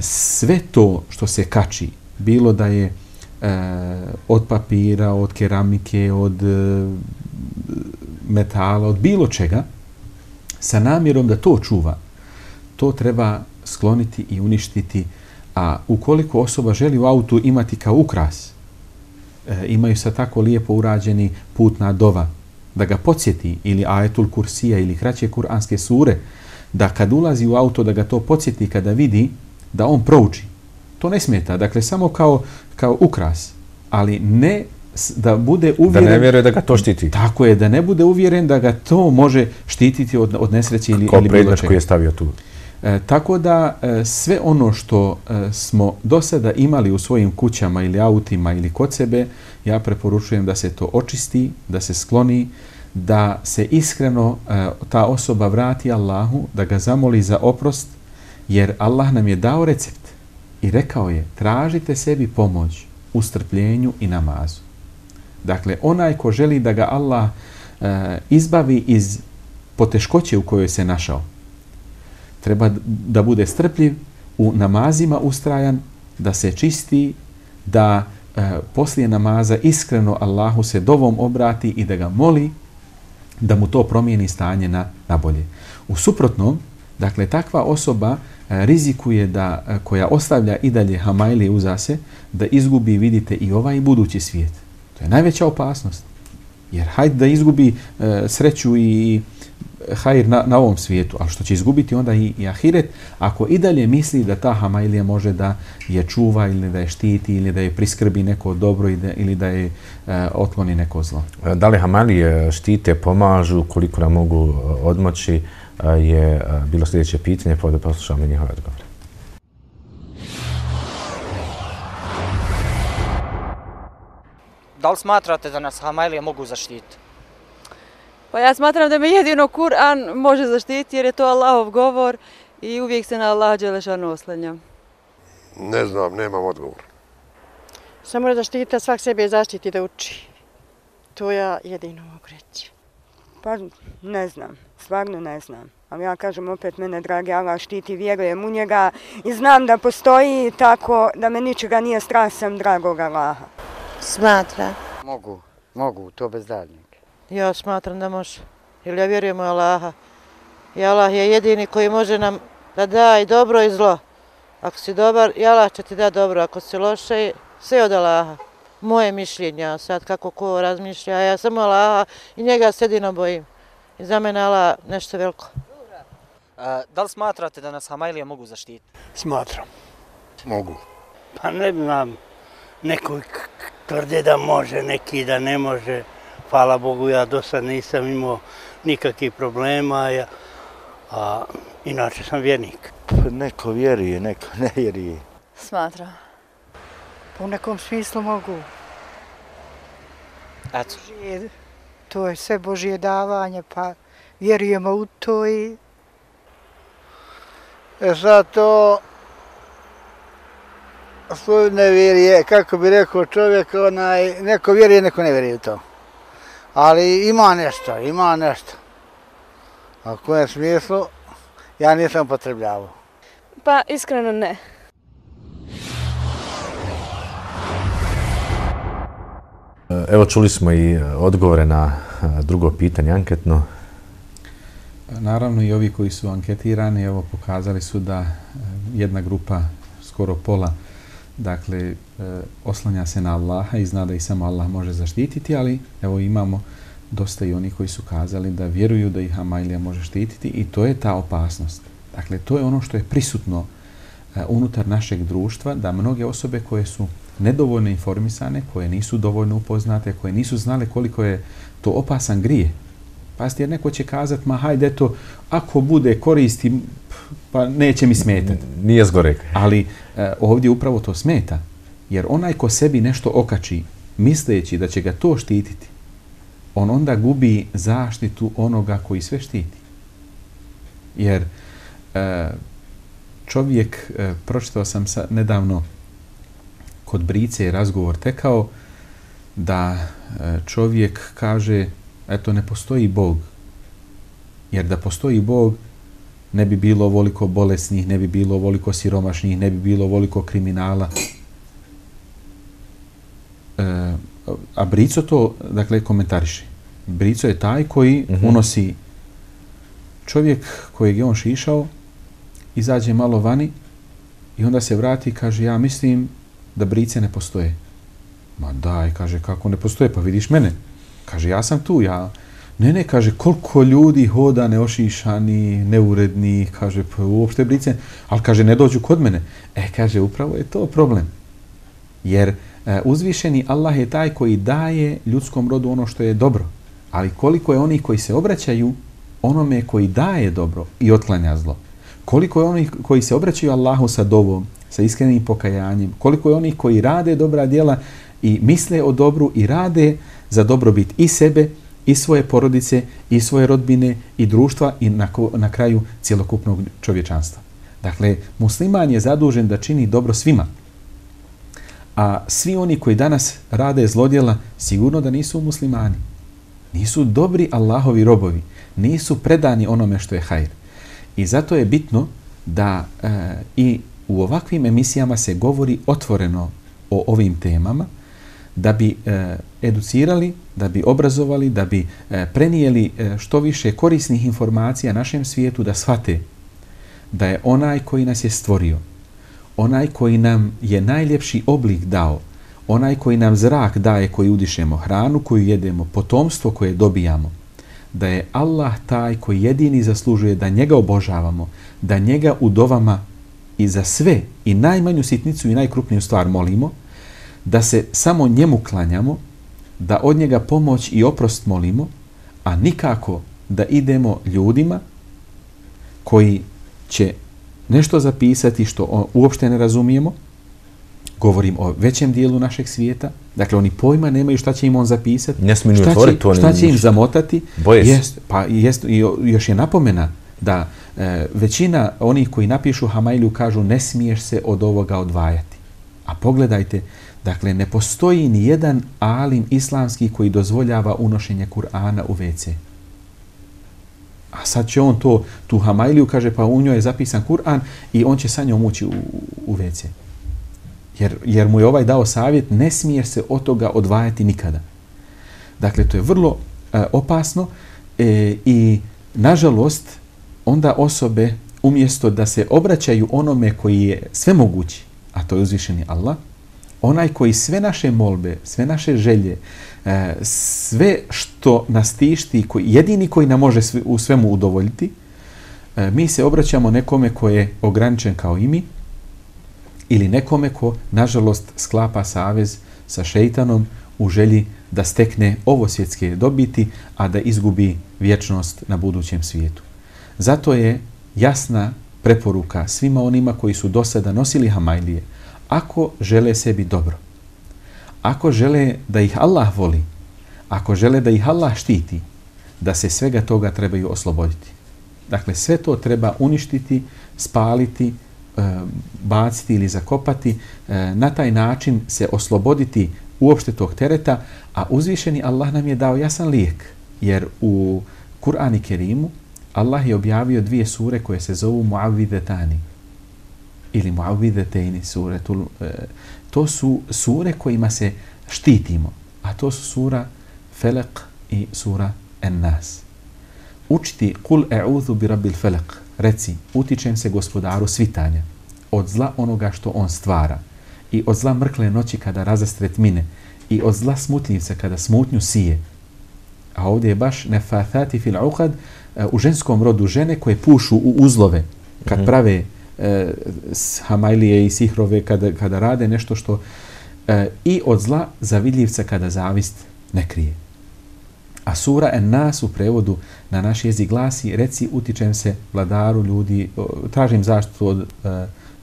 Sve to što se kači, bilo da je e, od papira, od keramike, od e, metala, od bilo čega, sa namjerom da to čuva, to treba skloniti i uništiti. A ukoliko osoba želi u autu imati kao ukras, e, imaju sa tako lijepo urađeni putna dova, da ga podsjeti, ili ajetul kursija, ili kraće kuranske sure, da kad ulazi u auto, da ga to podsjeti kada vidi, da on prouči. To ne smeta. Dakle, samo kao, kao ukras. Ali ne da bude uvjeren... Da ne vjeruje da ga to štiti. Tako je, da ne bude uvjeren da ga to može štititi od, od nesreće ili, ili bilo čega. Kao predmet koji je stavio tu. E, tako da e, sve ono što e, smo do sada imali u svojim kućama ili autima ili kod sebe, ja preporučujem da se to očisti, da se skloni, da se iskreno e, ta osoba vrati Allahu, da ga zamoli za oprost, jer Allah nam je dao recept i rekao je tražite sebi pomoć u strpljenju i namazu. Dakle, onaj ko želi da ga Allah e, izbavi iz poteškoće u kojoj se našao. Treba da bude strpljiv, u namazima ustrajan, da se čisti, da e, poslije namaza iskreno Allahu se dovom obrati i da ga moli da mu to promijeni stanje na, na bolje. U suprotnom, dakle, takva osoba e, rizikuje da, e, koja ostavlja i dalje hamajlije uza se, da izgubi, vidite, i ovaj budući svijet. To je najveća opasnost. Jer hajde da izgubi e, sreću i hajr na, na ovom svijetu, ali što će izgubiti onda i, i ahiret, ako i dalje misli da ta hamajlija može da je čuva ili da je štiti ili da je priskrbi neko dobro ili da je e, otkloni neko zlo. Da li hamajlije štite, pomažu, koliko nam mogu odmoći, je bilo sljedeće pitanje, pa da poslušamo njihove odgovore. Da li smatrate da nas hamajlije mogu zaštiti? Pa ja smatram da me jedino Kur'an može zaštiti jer je to Allahov govor i uvijek se na Allaha dželešanu oslanjam. Ne znam, nemam odgovor. Samo da štita svak sebe zaštiti da uči. To ja jedino mogu reći. Pa ne znam, stvarno ne znam. Ali ja kažem opet, mene dragi Allah štiti, vjerujem u njega i znam da postoji tako da me ničega nije strah sam dragog Allaha. Smatra. Mogu, mogu, to bez daljnjeg. Ja smatram da može. Jer ja vjerujem u Allaha. I Allah je jedini koji može nam da da i dobro i zlo. Ako si dobar, i Allah će ti da dobro. Ako si loše, sve od Allaha. Moje mišljenja, sad kako ko razmišlja, ja samo Allaha i njega se jedino bojim. I za mene Allah nešto veliko. A, da li smatrate da nas hamajlije mogu zaštiti? Smatram. Mogu. Pa ne znam, neko tvrde da može, neki da ne može. Hvala Bogu, ja do sad nisam imao nikakvih problema, ja, a inače sam vjernik. Neko vjeruje, neko ne vjeruje. Smatram. Po nekom smislu mogu. Eto. To je sve Božje davanje, pa vjerujemo u to i... E sad to... Svoju nevjerije, kako bi rekao čovjek, onaj, neko vjeruje, neko ne vjeruje u to. Ali ima nešto, ima nešto. A u kojem smislu, ja nisam upotrebljavao. Pa iskreno ne. Evo čuli smo i odgovore na drugo pitanje anketno. Naravno i ovi koji su anketirani, evo pokazali su da jedna grupa, skoro pola, dakle, oslanja se na Allaha i zna da ih samo Allah može zaštititi, ali evo imamo dosta i oni koji su kazali da vjeruju da ih hamajlija može štititi i to je ta opasnost. Dakle, to je ono što je prisutno unutar našeg društva, da mnoge osobe koje su nedovoljno informisane, koje nisu dovoljno upoznate, koje nisu znale koliko je to opasan grije. Pazite, jer neko će kazati, ma hajde to, ako bude koristi, pa neće mi smetati. Nije zgorek. Ali e, ovdje upravo to smeta. Jer onaj ko sebi nešto okači, misleći da će ga to štititi, on onda gubi zaštitu onoga koji sve štiti. Jer e, čovjek, e, pročitao sam sa, nedavno kod Brice razgovor tekao, da e, čovjek kaže, eto, ne postoji Bog. Jer da postoji Bog, ne bi bilo ovoliko bolesnih, ne bi bilo ovoliko siromašnih, ne bi bilo ovoliko kriminala. E, a Brico to, dakle, komentariše. Brico je taj koji uh-huh. unosi čovjek kojeg je on šišao, izađe malo vani i onda se vrati i kaže, ja mislim da Brice ne postoje. Ma daj, kaže, kako ne postoje? Pa vidiš mene. Kaže, ja sam tu, ja... Ne, ne, kaže, koliko ljudi hoda neošišani, neuredni, kaže, pa uopšte Brice, ali kaže, ne dođu kod mene. E, kaže, upravo je to problem. Jer e, uzvišeni Allah je taj koji daje ljudskom rodu ono što je dobro. Ali koliko je onih koji se obraćaju onome koji daje dobro i otklanja zlo. Koliko je onih koji se obraćaju Allahu sa dovom, sa iskrenim pokajanjem. Koliko je onih koji rade dobra djela i misle o dobru i rade za dobrobit i sebe, i svoje porodice, i svoje rodbine, i društva, i na, na kraju cjelokupnog čovječanstva. Dakle, musliman je zadužen da čini dobro svima. A svi oni koji danas rade zlodjela, sigurno da nisu muslimani. Nisu dobri Allahovi robovi. Nisu predani onome što je hajr. I zato je bitno da e, i u ovakvim emisijama se govori otvoreno o ovim temama, da bi e, educirali, da bi obrazovali, da bi e, prenijeli e, što više korisnih informacija našem svijetu, da shvate da je onaj koji nas je stvorio, onaj koji nam je najljepši oblik dao, onaj koji nam zrak daje, koji udišemo, hranu koju jedemo, potomstvo koje dobijamo, da je Allah taj koji jedini zaslužuje da njega obožavamo, da njega u dovama i za sve, i najmanju sitnicu i najkrupniju stvar molimo, da se samo njemu klanjamo, da od njega pomoć i oprost molimo, a nikako da idemo ljudima koji će nešto zapisati što uopšte ne razumijemo. Govorim o većem dijelu našeg svijeta. Dakle, oni pojma nemaju šta će im on zapisati, ne smiju šta, otvoriti, će, šta će im zamotati. Jest, pa jest, i još je napomena da e, većina onih koji napišu Hamailiju kažu ne smiješ se od ovoga odvajati. A pogledajte, dakle, ne postoji ni jedan alim islamski koji dozvoljava unošenje Kur'ana u ve ce. A sad će on to, tu Hamailiju, kaže, pa u njoj je zapisan Kur'an i on će sa njom ući u, u ve ce. Jer, jer mu je ovaj dao savjet, ne smiješ se od toga odvajati nikada. Dakle, to je vrlo e, opasno e, i, nažalost, onda osobe, umjesto da se obraćaju onome koji je svemogući, a to je uzvišeni Allah, onaj koji sve naše molbe, sve naše želje, e, sve što nas tišti, koji, jedini koji nam može sve, u svemu udovoljiti, e, mi se obraćamo nekome ko je ograničen kao i mi, ili nekome ko, nažalost, sklapa savez sa šejtanom u želji da stekne ovo svjetske dobiti, a da izgubi vječnost na budućem svijetu. Zato je jasna preporuka svima onima koji su do sada nosili Hamailije, ako žele sebi dobro, ako žele da ih Allah voli, ako žele da ih Allah štiti, da se svega toga trebaju osloboditi. Dakle, sve to treba uništiti, spaliti, baciti ili zakopati, na taj način se osloboditi uopšte tog tereta, a uzvišeni Allah nam je dao jasan lijek, jer u Kur'anu Kerimu Allah je objavio dvije sure koje se zovu Muavvidetani ili Muavvidetejni sure. To su sure kojima se štitimo, a to su sura Felek i sura En-Nas. Učiti Kul e'udhu bi rabbil felek, reci, utičem se gospodaru svitanja, od zla onoga što on stvara, i od zla mrkle noći kada razastre tmine, i od zla smutljivca kada smutnju sije. A ovdje je baš nefathati fil uqad, u ženskom rodu žene koje pušu u uzlove, kad mm-hmm. prave e, hamailije i sihrove, kada, kada rade nešto što... E, I od zla zavidljivca kada zavist ne krije. A sura En-Nas u prevodu na naš jezik glasi, reci, utičem se vladaru ljudi, tražim zaštitu od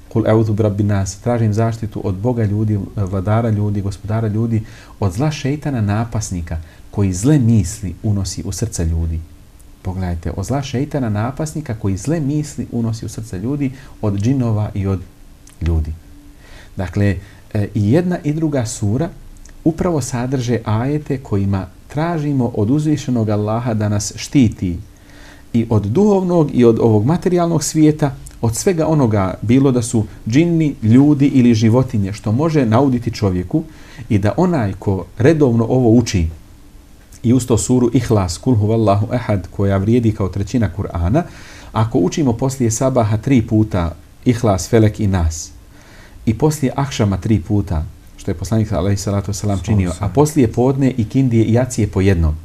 Kul e'udhu bi rabbin nas, tražim zaštitu od Boga ljudi, vladara ljudi, gospodara ljudi, od zla šejtana napasnika koji zle misli unosi u srca ljudi. Pogledajte, od zla šejtana napasnika koji zle misli unosi u srca ljudi, od džinova i od ljudi. Dakle, i jedna i druga sura upravo sadrže ajete kojima tražimo od uzvišenog Allaha da nas štiti i od duhovnog i od ovog materijalnog svijeta, od svega onoga, bilo da su džinni, ljudi ili životinje, što može nauditi čovjeku, i da onaj ko redovno ovo uči i uz to suru Ihlas, Kul huvallahu ehad, koja vrijedi kao trećina Kur'ana, ako učimo poslije sabaha tri puta Ihlas, Felek i Nas, i poslije akšama tri puta, što je poslanik alejhi salatu vesselam činio, a poslije podne i kindije i jacije po jednom,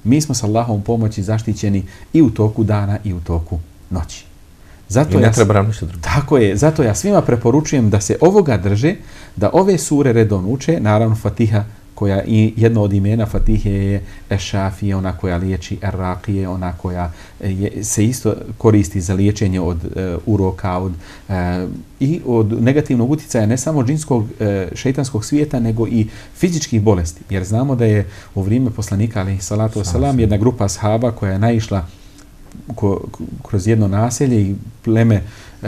mi smo s Allahovom pomoći zaštićeni i u toku dana i u toku noći. Zato I ne ja, treba nam ništa drugo. Tako je, zato ja svima preporučujem da se ovoga drže, da ove sure redovno uče, naravno Fatiha, koja i jedno od imena Fatihe je Ešafije, ona koja liječi, Erraqije, ona koja je, se isto koristi za liječenje od uh, uroka, od, uh, i od negativnog utjecaja ne samo džinskog uh, šejtanskog svijeta, nego i fizičkih bolesti. Jer znamo da je u vrijeme poslanika, alejhi salatu vesselam, jedna grupa ashaba koja je naišla ko, kroz jedno naselje i pleme uh,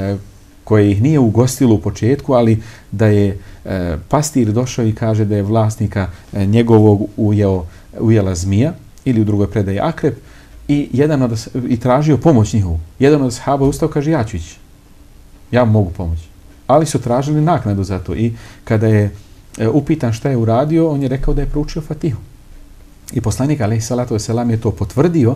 koje ih nije ugostilo u početku, ali da je e, pastir došao i kaže da je vlasnika e, njegovog ujeo, ujela zmija, ili u drugoj predaji akrep i, jedan od, i tražio pomoć njihovu. Jedan od ashaba ustao, kaže ja ću ići. Ja mogu pomoći. Ali su tražili naknadu za to i kada je e, upitan šta je uradio, on je rekao da je proučio Fatihu. I poslanik alejhi salatu vesselam je to potvrdio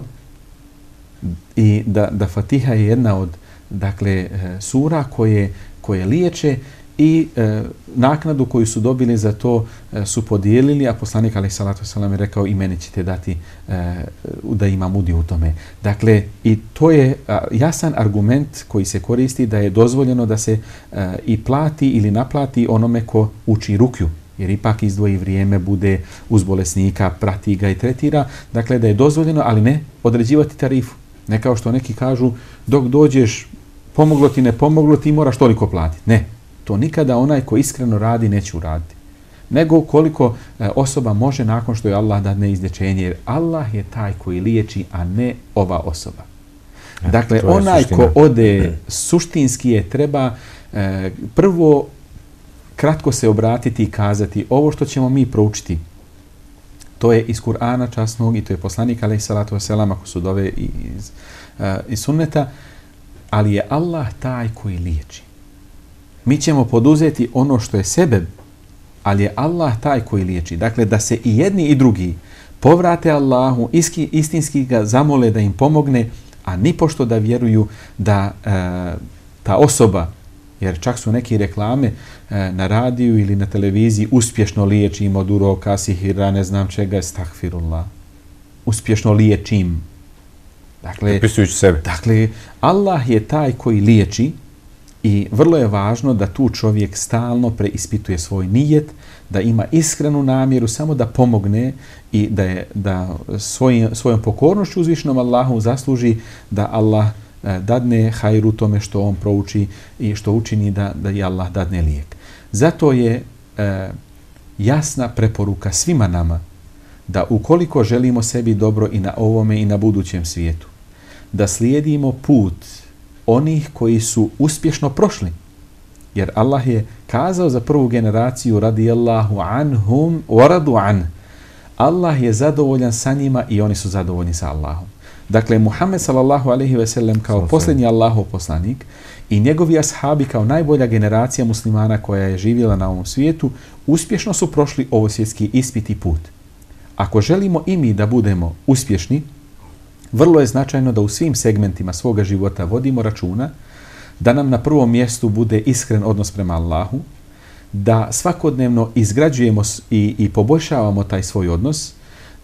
i da, da Fatiha je jedna od dakle, sura koje, koje liječe i e, naknadu koju su dobili za to e, su podijelili, a poslanik alejhi salatu vesselam je rekao i meni ćete dati e, da imam udio u tome. Dakle, i to je a, jasan argument koji se koristi da je dozvoljeno da se e, i plati ili naplati onome ko uči rukju, jer ipak izdvoji vrijeme, bude uz bolesnika, prati ga i tretira. Dakle, da je dozvoljeno, ali ne određivati tarifu. Ne kao što neki kažu, dok dođeš, pomoglo ti, ne pomoglo ti, moraš toliko platiti. Ne, to nikada onaj ko iskreno radi neće uraditi. Nego koliko e, osoba može nakon što je Allah dadne izlječenje, jer Allah je taj koji liječi, a ne ova osoba. E, dakle, onaj suština. Ko ode suštinski je treba e, prvo kratko se obratiti i kazati ovo što ćemo mi proučiti. To je iz Kur'ana časnog i to je poslanik alejhi salatu vesselam ako su dove iz, uh, iz sunneta, ali je Allah taj koji liječi. Mi ćemo poduzeti ono što je sebeb, ali je Allah taj koji liječi. Dakle, da se i jedni i drugi povrate Allahu, iski, istinski ga zamole da im pomogne, a nipošto da vjeruju da uh, ta osoba, jer čak su neki reklame e, na radiju ili na televiziji, uspješno liječim od uroka, sihira, ne znam čega, estagfirullah. Uspješno liječim. Dakle, pripisujući sebe. Dakle, Allah je taj koji liječi i vrlo je važno da tu čovjek stalno preispituje svoj nijet, da ima iskrenu namjeru samo da pomogne i da, je, da svoj, svojom pokornošću uzvišenom Allahu zasluži da Allah dadne hajru tome što on prouči i što učini da, da i Allah dadne lijek. Zato je e, jasna preporuka svima nama da ukoliko želimo sebi dobro i na ovome i na budućem svijetu, da slijedimo put onih koji su uspješno prošli. Jer Allah je kazao za prvu generaciju radijallahu anhum wa radu an. Allah je zadovoljan sa njima i oni su zadovoljni sa Allahom. Dakle, Muhammed sallallahu alejhi ve sellem kao Sosem. posljednji Allahov poslanik i njegovi ashabi kao najbolja generacija muslimana koja je živjela na ovom svijetu, uspješno su prošli ovo svjetski ispit i put. Ako želimo i mi da budemo uspješni, vrlo je značajno da u svim segmentima svoga života vodimo računa, da nam na prvom mjestu bude iskren odnos prema Allahu, da svakodnevno izgrađujemo i, i poboljšavamo taj svoj odnos,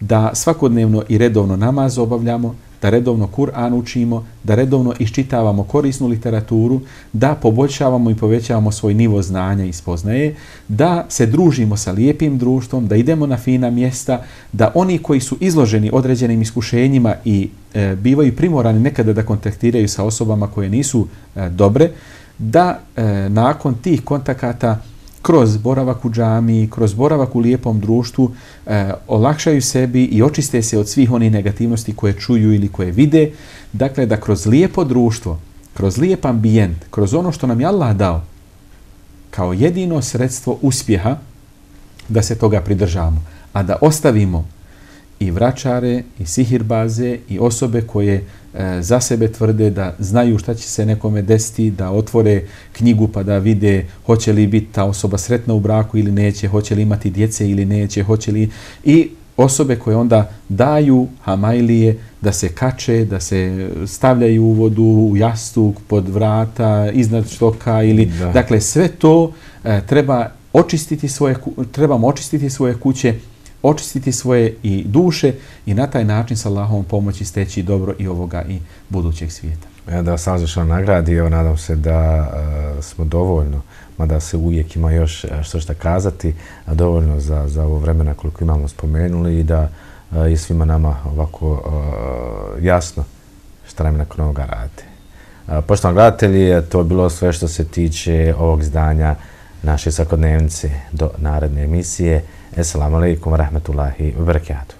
da svakodnevno i redovno namaz obavljamo, da redovno Kur'an učimo, da redovno iščitavamo korisnu literaturu, da poboljšavamo i povećavamo svoj nivo znanja i spoznaje, da se družimo sa lijepim društvom, da idemo na fina mjesta, da oni koji su izloženi određenim iskušenjima i e, bivaju primorani nekada da kontaktiraju sa osobama koje nisu e, dobre, da e, nakon tih kontakata kroz boravak u džamiji, kroz boravak u lijepom društvu, eh, olakšaju sebi i očiste se od svih onih negativnosti koje čuju ili koje vide. Dakle, da kroz lijepo društvo, kroz lijep ambijent, kroz ono što nam je Allah dao, kao jedino sredstvo uspjeha, da se toga pridržavamo. A da ostavimo i vračare, i sihirbaze, i osobe koje e, za sebe tvrde da znaju šta će se nekome desiti, da otvore knjigu pa da vide hoće li biti ta osoba sretna u braku ili neće, hoće li imati djece ili neće, hoće li... I osobe koje onda daju hamajlije da se kače, da se stavljaju u vodu, u jastuk, pod vrata, iznad štoka ili... Da. Dakle, sve to e, treba očistiti svoje, trebamo očistiti svoje kuće, očistiti svoje i duše i na taj način sa Allahovom pomoći steći dobro i ovoga i budućeg svijeta. Ja da sam zašto nagradi, evo nadam se da uh, smo dovoljno, mada se uvijek ima još što šta kazati, a dovoljno za, za ovo vremena koliko imamo spomenuli i da uh, je svima nama ovako uh, jasno šta nam nakon ovoga radite. Uh, poštovani gledatelji, to je bilo sve što se tiče ovog izdanja naše svakodnevnice do naredne emisije. Assalamu alaikum wa rahmatullahi wa barakatuh.